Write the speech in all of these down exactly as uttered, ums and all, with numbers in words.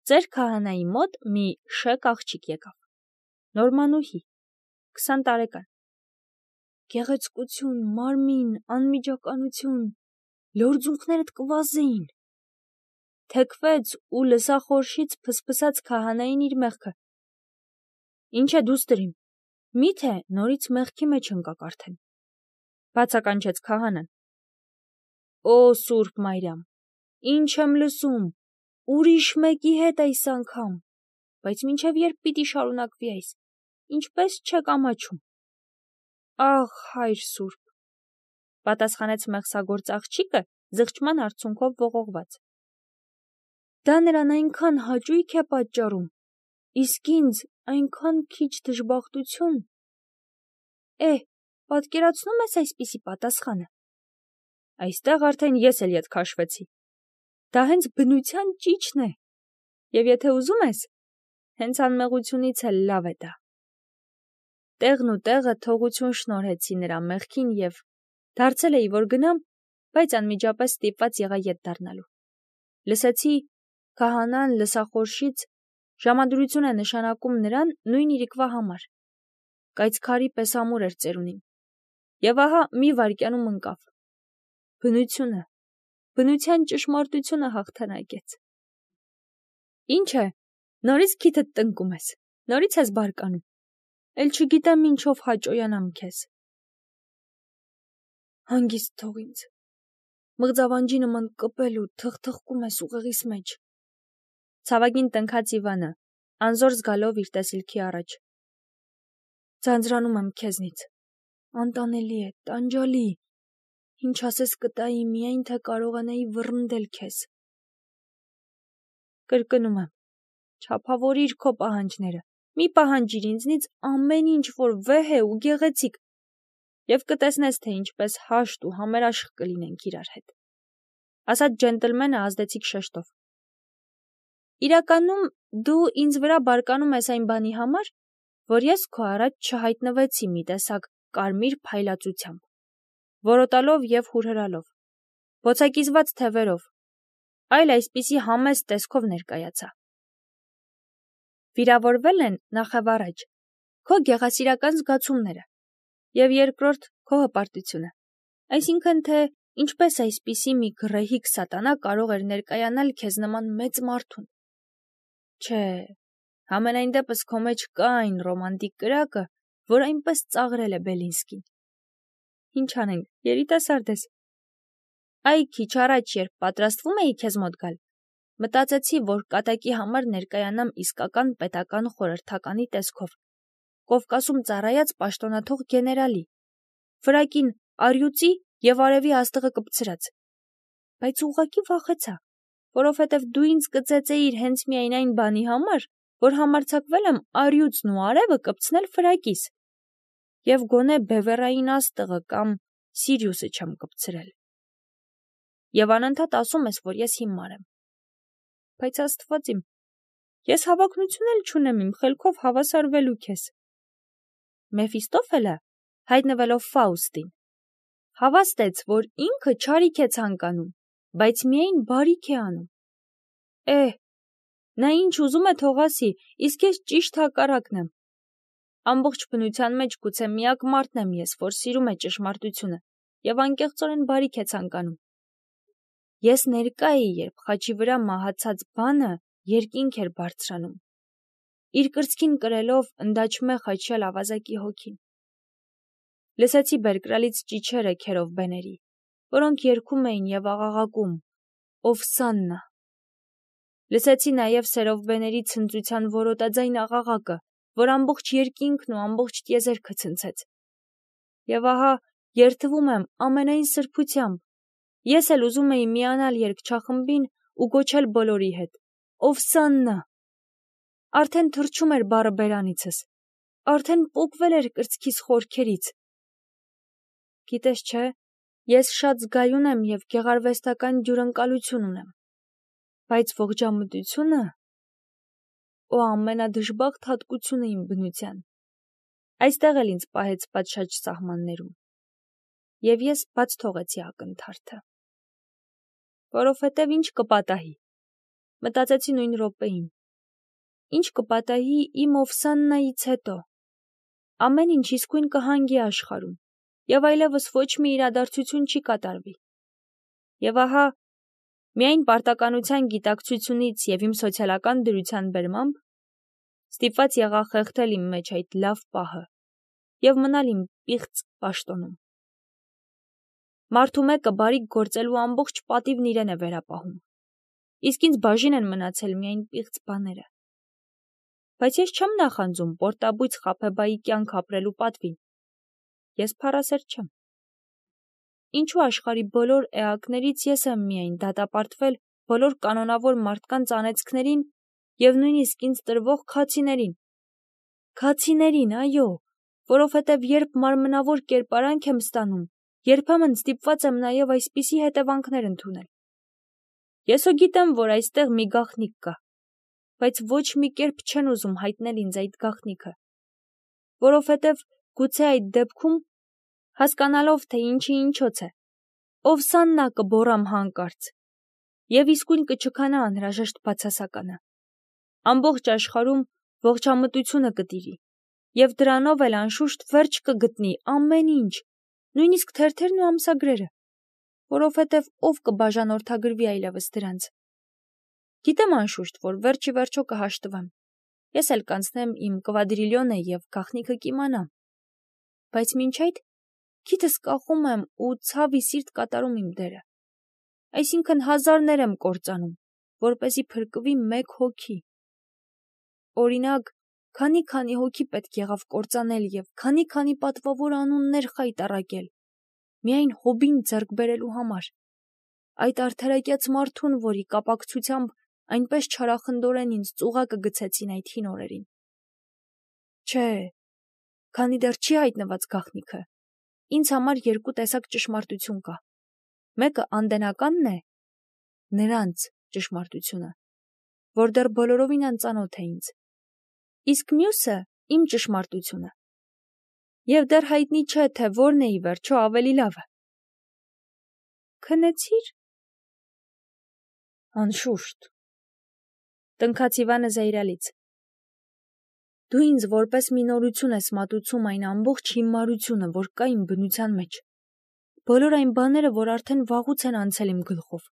Ձեր քահանայի մոտ մի շեք աղջիկ եկավ, նորմանուհի, քսան տարեկան, գեղեցկություն, մարմին, անմիջականություն, լորձունքներդ կվազեին, թեքվեց ու լսախորշից փսփսած քահանային իր մեղքը, ինչ է դուստրիմ, միթե նորից մեղքի մեջ ընկաք արդեն, բացականչեց քահանան, Օ Սուրբ Մարիամ, ինչ եմ լսում, ուրիշ մեկի հետ այս անգամ, բայց մինչև երբ պիտի շարունակվի այս, ինչպես չեք ամաչում։ Աղ, հայր Սուրբ, պատասխանեց մեղսագործ աղջիկը զղջման արցունքով ողողված։ Դա նրան այնքան հաճույք է պատճառում, իսկ ինձ այնքան քիչ դժբախտություն։ Է, պատկերացնում ես այսպիսի պատասխանը։ Այստեղ արդեն ես էլ ետ քաշվեցի։ Դա հենց բնության ճիճն է, և եթե ուզում ես, հենց անմեղությունից էլ լավ է դա։ Տեղն ու տեղը թողություն շնորհեցի նրա մեղքին և դարձել էի, որ գնամ, բայց անմիջապես ստիպված եղա ետ դառնալու։ Լսեցի, քահանան լսախորշից ժամադրություն է նշանակում նրան նույն իրիկվա համար։ Կայծքարի պես ամուր էր ծերունին։ Եվ ահա մի վայրկյանում ընկավ։ Բնությունը, բնության ճշմարտությունը հաղթանակեց։ Ինչ է, նորից քիթդ տնկում ես, նորից ես բարկանում, էլ չգիտեմ ինչով հաճոյանամ քեզ։ Հանգիստ թող ինձ, մղձավանջի նման կպել ու թխթխկում ես ուղեղիս մեջ։ Ցավագին տնքաց Իվանը, անզոր զգալով իր տեսիլքի առաջ։ Ձանձրանում եմ քեզնից, անտանելի է, տանջալի, ինչ ասես կտայի, միայն թե կարողանայի վռնդել քեզ։ Կրկնում եմ, չափավորիր քո պահանջները, մի պահանջիր ինձնից ամեն ինչ, որ վեհ է ու գեղեցիկ, և կտեսնես, թե ինչպես հաշտ ու համերաշխ կլինենք իրար հետ, ասաց ջենտլմենը ազդեցիկ շեշտով։ Իրականում դու ինձ վրա բարկանում ես այն բանի համար, որ ես քո առաջ չհայտնվեցի մի տեսակ կարմիր փայլածությամբ, որոտալով և հուրհրալով, բոցակիզված թևերով, այլ այսպիսի համեստ տեսքով ներկայացա։ Վիրավորվել են նախավառաջ քո գեղասիրական զգացումները և երկրորդ քո հպարտությունը, այսինքն թե ինչպես այսպիսի մի գռեհիկ սատանա կարող էր ներկայանալ քեզ նման մեծ մարդուն։ Չէ, համենայն դեպս քո մեջ կա այն ռոմանտիկ կրակը, որ այնպես ծաղրել է Բելինսկին։ Ինչ անենք, երիտասարդ ես։ Այ քիչ առաջ, երբ պատրաստվում էի քեզ մոտ գալ, մտածեցի, որ կատակի համար ներկայանամ իսկական պետական խորհրդականի տեսքով, Կովկասում ծառայած պաշտոնաթող գեներալի, վրակին առյուծի և արևի աստղը կպցրած, բայց ուղղակի վախեցա, որովհետև դու ինձ կծեծեիր հենց միայն այն բանի համար, որ համարձակվել եմ առյուծն ու արևը կպցնել վրակիս, և գոնե բևեռային աստղը կամ Սիրիուսը չեմ կպցրել։ Եվ անընդհատ ասում ես, որ ես հիմար եմ։ Բայց Աստված իմ, ես հավակնություն էլ չունեմ իմ խելքով հավասարվելու քեզ։ Մեֆիստոֆելը, հայտնվելով Ֆաուստին, հավաստեց, որ ինքը չարիք է ցանկանում, բայց միայն բարիք է անում։ Է, նա ինչ ուզում է թող ասի, իսկ ես ճիշտ հակառակն եմ։ Ամբողջ բնության մեջ գուցե միակ մարդն եմ ես, որ սիրում է ճշմարտությունը և անկեղծորեն բարիք է ցանկանում։ Ես ներկա էի, երբ խաչի վրա մահացած բանը երկինք էր բարձրանում, իր կրծքին կրելով ընդաչմե խաչյալ ավազակի հոգին։ Լսեցի բերկրալից ճիչերը քերով բեների, որոնք երգում էին և աղաղակում. Օվսաննա։ Լսեցի նաև սերով բեների ցնծության որոտաձայն աղաղակը, որ ամբողջ երկինքն ու ամբողջ տիեզերքը ցնցեց։ Եվ ահա երդվում եմ ամենայն սրբությամբ, ես էլ ուզում էի միանալ երգչախմբին ու գոչել բոլորի հետ. Օվսաննա։ Արդեն թռչում էր բառը բերանիցս, արդեն պոկվել էր կրծքիս խորքերից։ Գիտես չէ, ես շատ զգայուն եմ և գեղարվեստական ջուրընկալություն ունեմ, բայց ողջամտությունը, օ ամենադժբախտ հատկությունը իմ բնության, այստեղ էլ ինձ պահեց պատշաճ սահմաններում, և ես բաց թողեցի ակնթարթը, որովհետև ինչ կպատահի, մտածեցի նույն րոպեին. ինչ կպատահի իմ Օվսաննայից հետո։ Ամեն ինչ իսկույն կհանգի աշխարհում, եւ այլևս ոչ մի իրադարձություն չի կատարվի։ Եվ ահա, միայն պարտականության գիտակցությունից եւ իմ սոցիալական դրության բերմամբ ստիպված եղա խեղդել իմ մեջ այդ լավ պահը եւ մնալ իմ պիղծ պաշտոնում։ Մարդու մեկը բարիք գործելու ամբողջ պատիվն իրեն է վերապահում, իսկ ինձ բաժին են մնացել միայն պիղծ բաները։ Բայց ես չեմ նախանձում պորտաբույծ խաբեբայի կյանք ապրելու պատվին։ Ես փառասեր չեմ։ Ինչու աշխարհի բոլոր էակներից ես եմ միայն դատապարտվել բոլոր կանոնավոր մարդկանց անեծքներին եւ նույնիսկ ինձ տրվող քացիներին։ Քացիներին, այո, որովհետեւ երբ մարմնավոր կերպարանք եմ ստանում, երբեմն ստիպված եմ նաեւ այսպիսի հետևանքներ ընդունել։ Ես ու գիտեմ, որ այստեղ մի գաղտնիք կա, բայց ոչ մի կերպ չեն ուզում հայտնել ինձ այդ գաղտնիքը, որովհետև գուցե այդ դեպքում, հասկանալով, թե ինչի ինչոց է, Օվսաննա կբոռամ հանկարծ, եւ իսկույն կչքանա անհրաժեշտ բացասականը։ Ամբողջ աշխարհում ողջամտությունը կտիրի, եւ դրանով էլ անշուշտ վերջ կգտնի ամեն ինչ, նույնիսկ թերթերն ու ամսագրերը, որովհետև ով կբաժանորդագրվի այլևս դրանց։ Գիտեմ անշուշտ, որ վերջի վերջո կհաշտվեմ, ես էլ կանցնեմ իմ կվադրիլյոնը եւ գաղտնիքը կիմանամ, բայց մինչ այդ քիթս կախում եմ ու ցավի սիրտ կատարում իմ դերը, այսինքն հազարներ եմ կործանում, որպեսզի փրկվի մեկ հոգի։ Օրինակ, քանի-քանի հոգի պետք եղավ կործանել եւ քանի-քանի պատվավոր անուններ խայտառակել, միայն հոբին ձեռք բերելու համար, այդ արդարակյաց մարդուն, որի կապակցությամբ այնպես չարախնդորեն ինձ ծուղակը գցեցին այդ հին օրերին։ Չէ, քանի դեռ չի հայտնված գաղտնիքը, ինձ համար երկու տեսակ ճշմարտություն կա։ Մեկը անդենականն է, նրանց ճշմարտությունը, որ դեռ բոլորովին անծանոթ է ինձ, իսկ մյուսը իմ ճշմարտությունը, եւ դեռ հայտնի չէ, թե որն է ի վերջո ավելի լավը։ Քնեցի՞ր։ Անշուշտ։ Տնքաց Իվանը զայրալից։ Դու ինձ որպես մի նորություն ես մատուցում այն ամբողջ հիմարությունը, որ կա իմ բնության մեջ։ Բոլոր այն բաները, որ արդեն վաղուց են անցել իմ գլխով։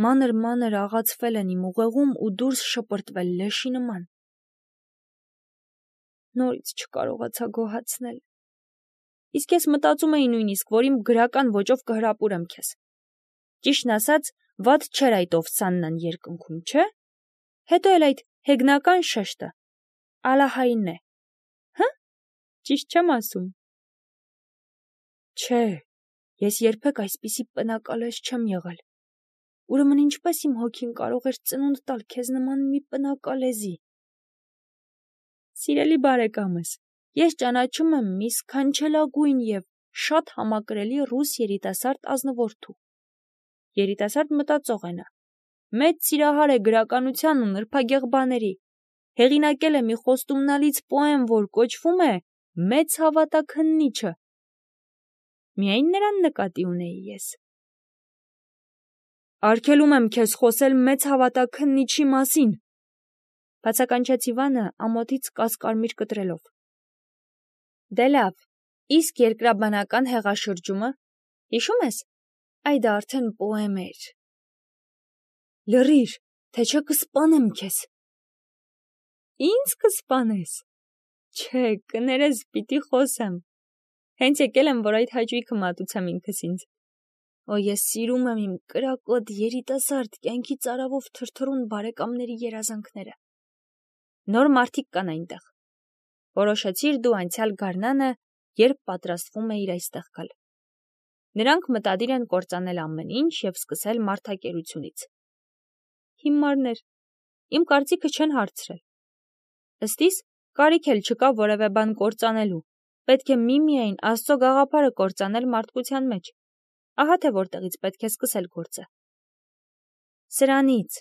Մանր-մանր աղացվել են իմ ուղեղում ու դուրս շպրտվել լեշի նման։ Նորից չկարողացա գոհացնել։ Իսկ ես մտածում էի նույնիսկ, որ իմ գրական ոճով կհրապուրեմ քեզ։ Ճիշտն ասած, վատ չէր այդ Օվսաննան երկնքում, չէ՞։ Հետո էլ այդ հեգնական շեշտը, Ալահայինն է, հը՞, ճիշտ չեմ ասում։ Չէ, ես երբեք այսպիսի պնակալեզ չեմ եղել։ Ուրեմն ինչպես իմ հոգին կարող էր ծնունդ տալ քեզ նման մի պնակալեզի։ Սիրելի բարեկամս, ես ճանաչում եմ մի սքանչելագույն եւ շատ համակրելի ռուս երիտասարդ ազնվորդու։ Երիտասարդ մտածող է նա։ Մեծ սիրահար է գրականության ու նրբագեղ բաների, հեղինակել է մի խոստումնալից պոեմ, որ կոչվում է «Մեծ հավատաքննիչը»։ Միայն նրան նկատի ունեի ես։ Արգելում եմ քեզ խոսել մեծ հավատաքննիչի մասին, բացականչեց Իվանը ամոթից կասկարմիր կտրելով։ Դե լավ, իսկ երկրաբանական հեղաշրջումը, հիշում ես, այդ արդեն պոեմ էր։ Լռիր, թե չէ կսպանեմ քեզ։ Ինձ կսպանես։ Չէ, կներես, պիտի խոսեմ։ Հենց եկել եմ, որ այդ հաճույքը մատուցեմ ինքս ինձ։ Օ, ես սիրում եմ իմ կրակոտ երիտասարդ կյանքի ծարավով թրթռուն բարեկամների երազանքները։ Նոր մարդիկ կան այնտեղ։ Որոշեցիր դու անցյալ գարնանը, երբ պատրաստվում էիր այստեղ գալ։ Նրանք մտադիր են կործանել ամեն ինչ եւ սկսել մարդակերությունից։ Հիմարներ, իմ կարծիքը չեն հարցրել։ Ըստ իս, կարիք էլ չկա որևէ բան կործանելու, պետք է միմիայն Աստծո գաղափարը կործանել մարդկության մեջ։ Ահա թե որտեղից պետք է սկսել գործը։ Սրանից,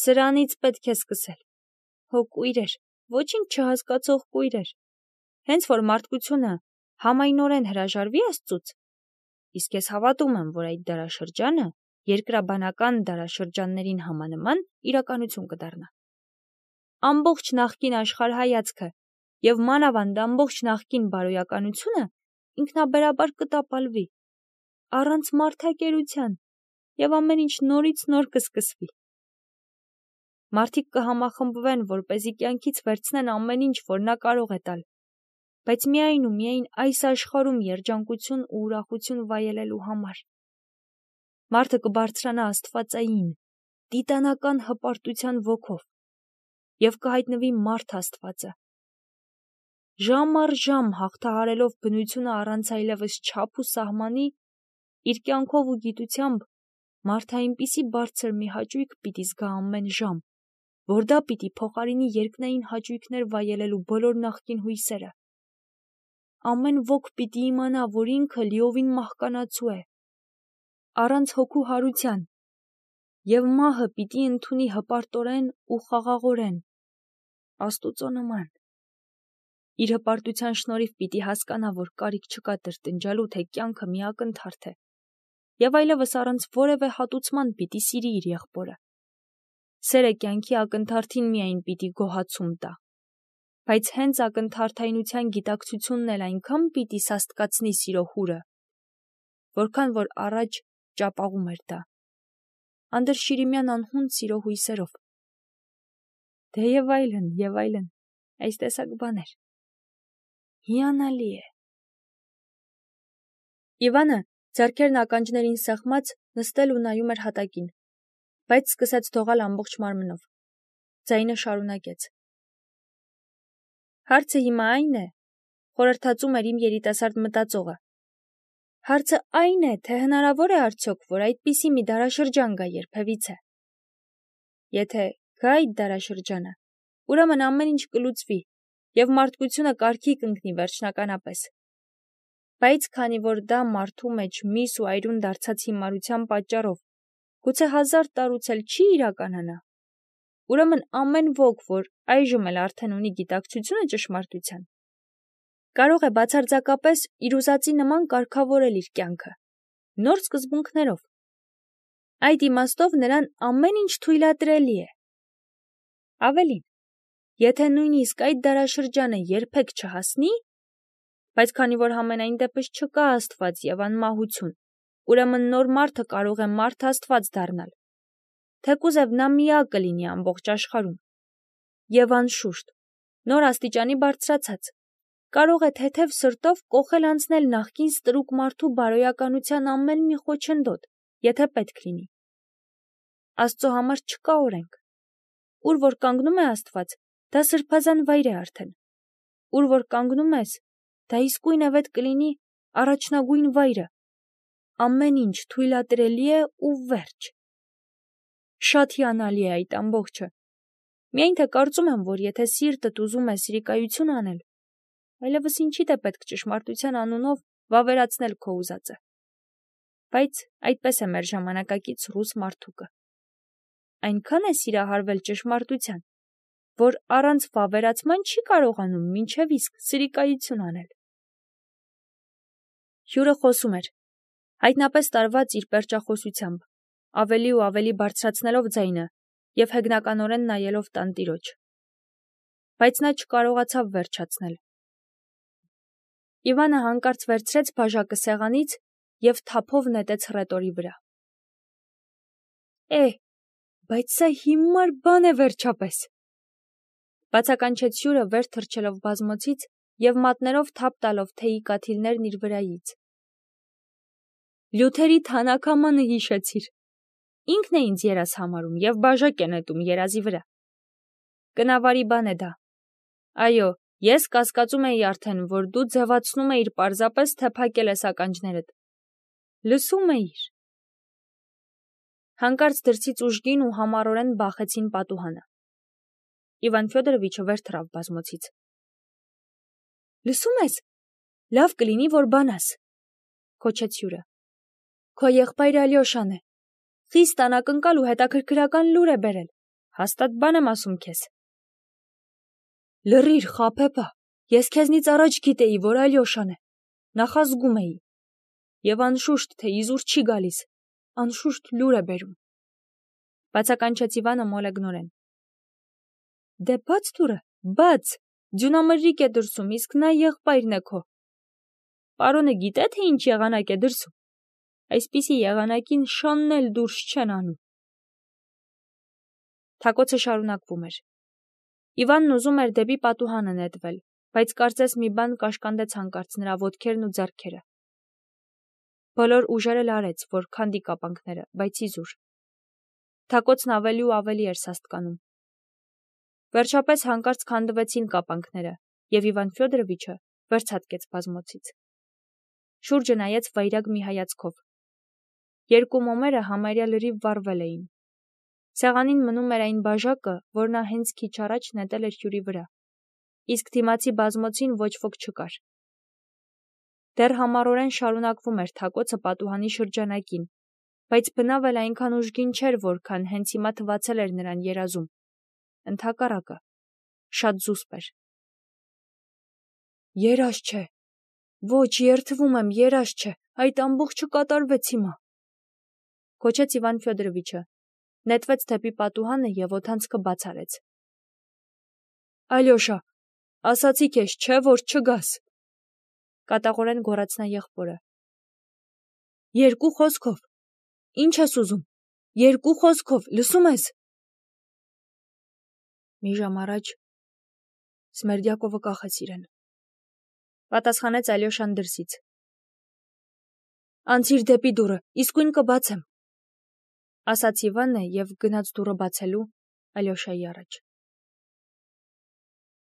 սրանից պետք է սկսել։ Հո կույրեր, ոչինչ չհասկացող կույրեր։ Հենց որ մարդկությունը համայնորեն հրաժարվի Աստծուց, իսկ ես հավատում եմ, որ այդ դարաշրջանը երկրաբանական դարաշրջաններին համանման իրականություն կդառնա։ Ամբողջ նախկին աշխարհայացքը եւ մանավանդ ամբողջ նախկին բարոյականությունը ինքնաբերաբար կտապալվի, առանց մարդակերության, եւ ամեն ինչ նորից նոր կսկսվի։ Մարդիկ կհամախմբվեն, որպեսզի կյանքից վերցնեն ամեն ինչ, որ նա կարող է տալ, բայց միայն ու միայն այս աշխարհում երջանկություն ու ուրախություն վայելելու համար։ Մարդը կբարձրանա աստվածային, տիտանական հպարտության ոգով եւ կհայտնվի մարդ Աստվածը։ Ժամ առ ժամ հաղթահարելով բնությունը առանց այլևս չափ ու սահմանի, իր կյանքով ու գիտությամբ մարդը այնպիսի բարձր մի հաճույք պիտի զգա ամեն ժամ, որ դա պիտի փոխարինի երկնային հաճույքներ վայելելու բոլոր նախկին հույսերը։ Ամեն ոք պիտի իմանա, որ ինքը լիովին մահկանացու է, առանց հոգու հարության, եւ մահը պիտի ընդունի հպարտորեն ու խաղաղորեն, Աստուծո նման։ Իր հպարտության շնորհիվ պիտի հասկանա, որ կարիք չկա տրտնջալու, թե կյանքը մի ակնթարթ է, եւ այլևս առանց որևէ հատուցման պիտի սիրի իր եղբորը։ Սերը կյանքի ակնթարթին միայն պիտի գոհացում տա, բայց հենց ակնթարթայնության գիտակցությունն էլ այնքան պիտի սաստկացնի սիրո հուրը, որքան որ առաջ ճապաղում էր դա, անդրշիրիմյան անհուն սիրո հույսերով։ Դե եւ այլն, եւ այլն, այս տեսակ բաներ։ Հիանալի է։ Իվանը, ձեռքերն ականջներին սեղմած, նստել ու նայում էր հատակին, բայց սկսեց դողալ ամբողջ մարմնով։ Ձայնը շարունակեց. Հարցը հիմա այն է, խորհրդածում էր իմ երիտասարդ մտածողը։ Հարցը այն է, թե հնարավոր է արդյոք, որ այդպիսի մի դարաշրջան գա երբևիցե։ Եթե գա այդ դարաշրջանը, ուրեմն ամեն ինչ կլուծվի, եւ մարդկությունը կարգի կընկնի վերջնականապես։ Բայց քանի որ դա մարդու մեջ միս ու այրուն դարձած հիմարության պատճառով գուցե հազար տարուց էլ չի իրականանա, ուրեմն ամեն ոք, որ այժմ էլ արդեն ունի գիտակցությունը ճշմարտության, կարող է բացարձակապես իր ուզածի նման կարգավորել իր կյանքը, նոր սկզբունքներով։ Այդ իմաստով նրան ամեն ինչ թույլատրելի է։ Ավելին, եթե նույնիսկ այդ դարաշրջանը երբեք չհասնի, բայց քանի որ համենայն դեպս չկա Աստված եւ անմահություն, ուրեմն նոր մարդը կարող է մարդ Աստված դառնալ, թեկուզև նա միակ կլինի ամբողջ աշխարհում, եւ անշուշտ, նոր աստիճանի բարձրացած, կարող է թեթև սրտով կոխել անցնել նախկին ստրուկ մարդու բարոյականության ամեն մի խոչընդոտ, եթե պետք լինի։ Աստծո համար չկա օրենք։ Ուր որ կանգնում է Աստված, դա սրբազան վայր է արդեն։ Ուր որ կանգնում ես, դա իսկույնևեթ կլինի առաջնագույն վայրը։ Ամեն ինչ թույլատրելի է ու վերջ։ Շատ հիանալի է այդ ամբողջը։ Միայն թե կարծում եմ, որ եթե սիրտդ ուզում է սրիկայություն անել, այլևս ինչի՞դ է պետք ճշմարտության անունով վավերացնել քո ուզածը։ Բայց այդպես է մեր ժամանակակից ռուս մարդուկը։ Այնքան է սիրահարվել ճշմարտության, որ առանց վավերացման չի կարողանում մինչև իսկ սրիկայություն անել։ Հյուրը խոսում էր, հայտնապես տարված իր պերճախոսությամբ, ավելի ու ավելի բարձրացնելով ձայնը եւ հեգնականորեն նայելով տանտիրոջ։ Բայց նա չկարողացավ վերջացնել։ Իվանը հանկարծ վերցրեց բաժակը սեղանից եւ թափով նետեց հռետորի վրա։ Է, բայց սա հիմար բան է վերջապես։ Բացականչեց հյուրը վեր թռչելով բազմոցից եւ մատներով թափ տալով թեյի կաթիլներն իր վրայից։ Լյութերի թանաքամանը հիշեցիր։ Ինքն է ինձ երազ համարում եւ բաժակ է նետում երազի վրա։ Կնավարի բան է դա։ Այո, ես կասկածում էի արդեն, որ դու ձևացնում էիր պարզապես, թե փակել ես ականջներդ։ Լսում էիր։ Հանկարծ դրսից ուժգին ու համառորեն բախեցին պատուհանը։ Իվան Ֆյոդորովիչը վեր թռավ բազմոցից։ Լսում ես, լավ կլինի, որ բանաս, քոչեց հյուրը։ Քո եղբայրը Ալյոշան է։ Խիստ անակնկալ ու հետաքրքրական լուր է բերել։ Հաստատ բան եմ ասում քեզ։ Լռիր, խաբեբա, ես քեզնից առաջ գիտեի, որ Ալյոշան է։ Նախազգում էի։ Եվ անշուշտ, թե իզուր չի գալիս։ անշուշտ լուր է բերում, բացականչեց Իվանը մոլեգնորեն։ Դե բաց դուրը, բաց, ձյունամրրիկ է դրսում, իսկ նա եղբայրն է քո։ Պարոնը գիտե, թե ինչ եղանակ է դրսում։ Այսպիսի եղանակին շանն էլ դուրս չեն անում։ Թակոցը շարունակվում էր։ Իվանն ուզում էր դեպի պատուհանը նետվել, բայց կարծես մի բան կաշկանդեց հանկարծ նրա ոտքերն ու ձեռքերը։ Բոլոր ուժերը լարեց, որ քանդի կապանքները, բայց իզուր։ Թակոցն ավելի ու ավելի էր սաստկանում։ Վերջապես հանկարծ քանդվեցին կապանքները, և Իվան Ֆյոդորովիչը վերցատկեց բազմոցից։ Շուրջը նայեց վայրագ մի հայացքով։ Երկու մոմերը համարյա լրիվ վառվել էին։ Սեղանին մնում էր այն բաժակը, որ նա հենց քիչ առաջ նետել էր հյուրի վրա, իսկ դիմացի բազմոցին ոչ ոք չկար։ Դեռ համառորեն շարունակվում էր թակոցը պատուհանի շրջանակին, բայց բնավ էլ այնքան ուժգին չէր, որքան հենց հիմա թվացել էր նրան երազում։ Ընդհակառակը, շատ զուսպ էր։ Երազ չէ, ոչ, երդվում եմ, երազ չէ, այդ ամբողջը կատարվեց հիմա, գոչեց Իվան Ֆյոդորովիչը, նետվեց դեպի պատուհանը և օդանցքը բաց արեց։ Ալյոշա, ասացի քեզ, չէ, որ չգաս, կատաղորեն գոռաց նա եղբորը։ Երկու խոսքով, ինչ ես ուզում, երկու խոսքով, լսում ես։ Մի ժամ առաջ Սմերդյակովը կախեց իրեն, պատասխանեց Ալյոշան դրսից։ Անցիր դեպի դուռը, իսկույն կբացեմ, ասաց Իվանը և գնաց դուռը բացելու Ալյոշայի առաջ։